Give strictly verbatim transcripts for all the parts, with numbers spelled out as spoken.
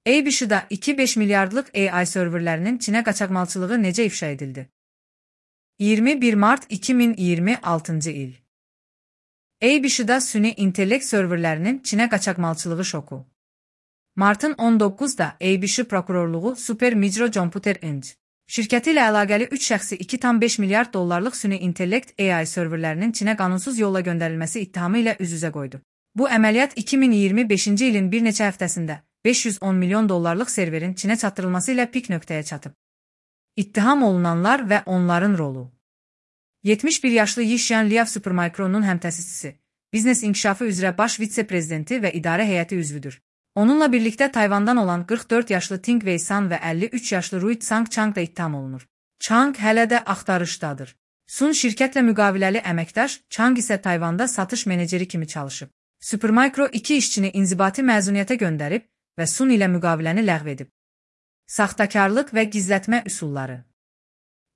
A B Ş'da iki nöqtə beş milyardlıq A I serverlərinin Çinə qaçaqmalçılığı necə ifşa edildi? iyirmi bir mart iki min iyirmi altıncı il. A B Ş'da süni intellekt serverlərinin Çinə qaçaqmalçılığı şoku. Martın on doqquzunda A B Ş prokurorluğu Super Micro Computer Inc şirkəti ilə əlaqəli üç şəxsi iki nöqtə beş milyard dollarlıq süni intellekt A I serverlərinin Çinə qanunsuz yolla göndərilməsi ittihamı ilə üz-üzə qoydu. Bu əməliyyat iki min iyirmi beşinci ilin bir neçə həftəsində beş yüz on milyon dollarlıq serverin Çinə çatdırılması ilə pik nöqtəyə çatıb. İttiham olunanlar və onların rolu. yetmiş bir yaşlı Yixuan Liao Supermicro'nun həmtəsisçisi, biznes inkişafı üzrə baş vitse-prezidenti və idarə heyəti üzvüdür. Onunla birlikdə Tayvandan olan qırx dörd yaşlı Ting Wei San və əlli üç yaşlı Rui Tsang Chang da ittiham olunur. Chang hələ də axtarışdadır. Sun şirkətlə müqaviləli əməkdaş, Chang isə Tayvanda satış meneceri kimi çalışıb. Supermicro iki işçini inzibati məzuniyyətə göndərib və Sun ilə müqaviləni ləğv edib. Saxtakarlıq və gizlətmə üsulları.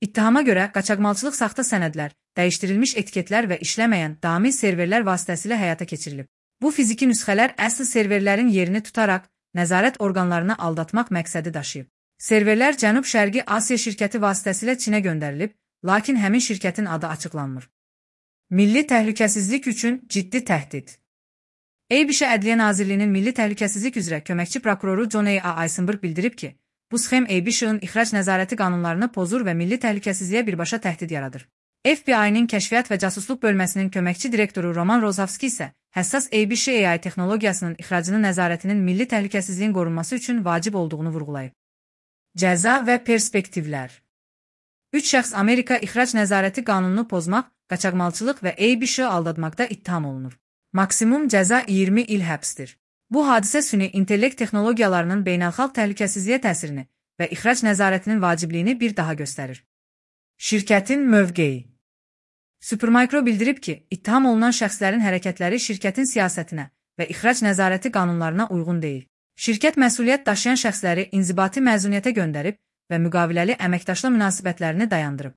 İttihama görə qaçaqmalçılıq saxta sənədlər, dəyişdirilmiş etiketlər və işləməyən daimi serverlər vasitəsilə həyata keçirilib. Bu fiziki nüsxələr əsl serverlərin yerini tutaraq nəzarət orqanlarını aldatmaq məqsədi daşıyıb. Serverlər Cənub-Şərqi Asiya şirkəti vasitəsilə Çinə göndərilib, lakin həmin şirkətin adı açıqlanmır. Milli təhlükəsizlik üçün ciddi təhdid. A B Ş Ədliyyə Nazirliyinin Milli Təhlükəsizlik üzrə köməkçi prokuroru John A. Eisenberg bildirib ki, bu sxem A B Ş-ın ixrac nəzarəti qanunlarını pozur və milli təhlükəsizliyə birbaşa təhdid yaradır. F B I-nin kəşfiyyat və casusluq bölməsinin köməkçi direktoru Roman Rozovski isə həssas A B Ş A I texnologiyasının ixracının nəzarətinin milli təhlükəsizliyin qorunması üçün vacib olduğunu vurğulayıb. Cəza və perspektivlər. Üç şəxs Amerika ixrac nəzarəti qanununu pozmaq, qaçaqmalçılıq və A B Ş aldatmaqda ittiham olunur. Maksimum cəza iyirmi il həbsdir. Bu hadisə süni intellekt texnologiyalarının beynəlxalq təhlükəsizliyə təsirini və ixrac nəzarətinin vacibliyini bir daha göstərir. Şirkətin mövqeyi. Supermicro bildirib ki, ittiham olunan şəxslərin hərəkətləri şirkətin siyasətinə və ixrac nəzarəti qanunlarına uyğun deyil. Şirkət məsuliyyət daşıyan şəxsləri inzibati məzuniyyətə göndərib və müqaviləli əməkdaşlıq münasibətlərini dayandırıb.